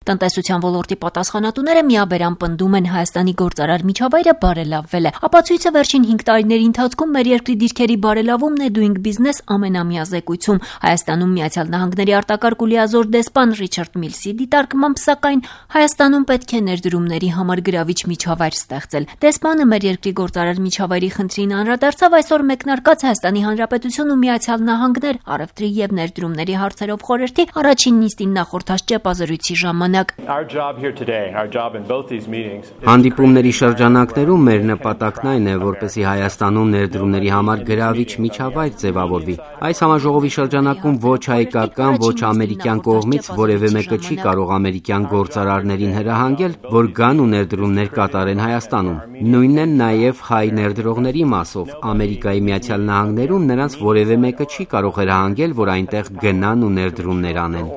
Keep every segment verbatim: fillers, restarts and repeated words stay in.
Տնտեսության ոլորտի պատասխանատուները միաբերան պնդում են Հայաստանի գործարար միջավայրը բարելավվել է։ Ապացույցը վերջին հինգ տարիների ընթացքում մեր երկրի դիրքերի բարելավումն է Doing Business ամենամյա զեկույցում։ Հայաստանում Միացյալ Նահանգների արտակարգ ու լիազոր դեսպան Ռիչարդ Միլսի դիտարկմամբ, սակայն Հայաստանում պետք է ներդրումների համար գրավիչ միջավայր ստեղծել։ Դեսպանը մեր երկրի գործարար միջավայրի խնդրին անդրադարձավ այսօր մեկնարկած Հայաստանի Հանրապետություն ու Միացյալ Նահանգներ առևտրի եւ ներդրումների հարցերով խորհրդի առաջին նիստին նախորդած ճեպազրույցի ժամանակ։ Հանդիպումների շրջանակներում մեր նպատակն այն է, որպեսզի Հայաստանում ներդրումների համար գրավիչ միջավայր ձևավորվի։ Այս համաժողովի շրջանակում ոչ հայկական, ոչ ամերիկյան կողմից որևէ մեկը չի կարող ամերիկյան գործարարներին հրահանգել, որ գան ու ներդրումներ կատարեն Հայաստանում։ Նույնն է նաև հայ ներդրողների մասով։ Ամերիկայի Միացյալ Նահանգներում նրանց որևէ մեկը չի կարող հրահանգել, որ այնտեղ գնան ու ներդրումներ անեն։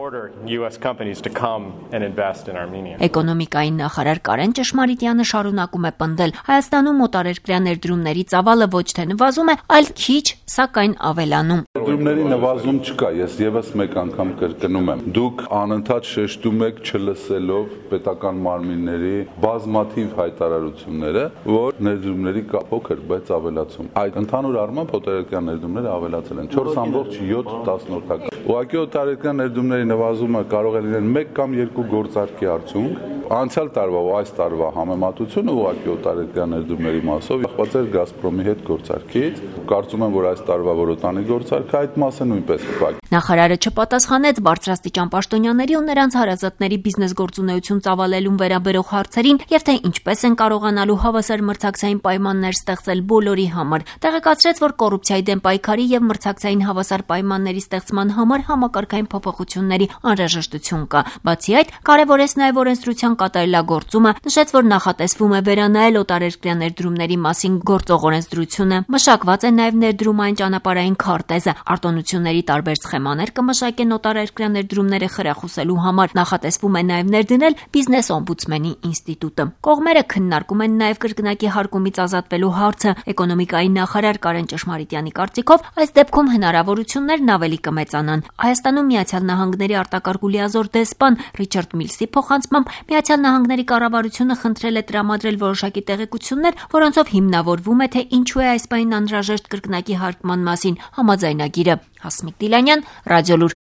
Էկոնոմիկայի նախարար Կարեն Ճշմարիտյանը շարունակում է պնդել. Հայաստանում օտարերկրյա ներդրումների ծավալը ոչ թե նվազում է, այլ քիչ, սակայն ավելանում։ Ներդրումների նվազում չկա, ես եւս մեկ անգամ կրկնում եմ։ Դուք անընդհատ շեշտում եք չլսելով պետական մարմինների բազմաթիվ հայտարարությունները, որ ներդրումների կա փոքր, բայց ավելացում։ Այդ ընդհանուր առմամբ օտարերկրյա ներդրումները ավելացել են չորս ամբողջ յոթ տասնորդական։ Ուղղակի օտարերկրյա ներդրումների նվազումը կարող է լինել մեկ կամ երկու գործարքի արդյունք։ Անցյալ տարվա ու այս տարվա համեմատությունը ուղղակի օտարերկրյա ներդրումների մասով կախված էր Գազպրոմի հետ գործարքից։ Կարծում եմ, որ այս տարվա որոտանի գործարքը այդ մասը նույնպես կփակի։ Նախարարը չպատասխանեց բարձրաստիճան պաշտոնյաների ու նրանց հարազատների բիզնես գործունեություն ծավալելուն վերաբերող հարցերին եւ թե ինչպես են կարողանալու հավասար մրցակցային պայմաններ ստեղծել բոլորի համար։ Տեղեկացրեց, որ կոռուպցիայի դեմ պայքարի եւ մրցակցային հավասար պայմանների ստեղծման համար համակարգային փոփոխությունների անհրաժեշտություն կա։ Բացի այդ, կարևորեց նաեւ օրենսդրության կատարելագործումը, նշեց, որ նախատեսվում է վերանայել օտարերկրյա ներդրումների մասին գործող օրենսդրությունը։ Մշակված է նաեւ ներդրումային ճանապարհային քարտեզը, արտոնությունների տարբեր սխեմաներ կմշակեն օտարերկրյա ներդրումները խրախուսելու համար։ Նախատեսվում է նաեւ ներդնել բիզնես օմբուդսմենի ինստիտուտը։ Կողմերը քննարկում են նաեւ կրկնակի հարկումից ազատվելու հարցը։ Էկոնոմիկայի նախարար Կարեն Ճշմարիտյանի կարծիքով, այս դեպքում հնարավորություններն ավելի կմեծանան։ Հայաստանում Միացյալ Նահանգների արտակարգ ու լիազոր դեսպան Ռիչարդ Միլսի փոխանցմամբ Միացյալ Նահանգների կառավարությունը խնդրել է տրամադրել որոշակի տեղեկություններ, որոնցով հիմնավորվում է, թե ինչու է այս պահին անհրաժեշտ կրկնակի հարկման մասին համաձայնագիրը։ Հասմիկ Դիլանյան, Ռադիոլուր։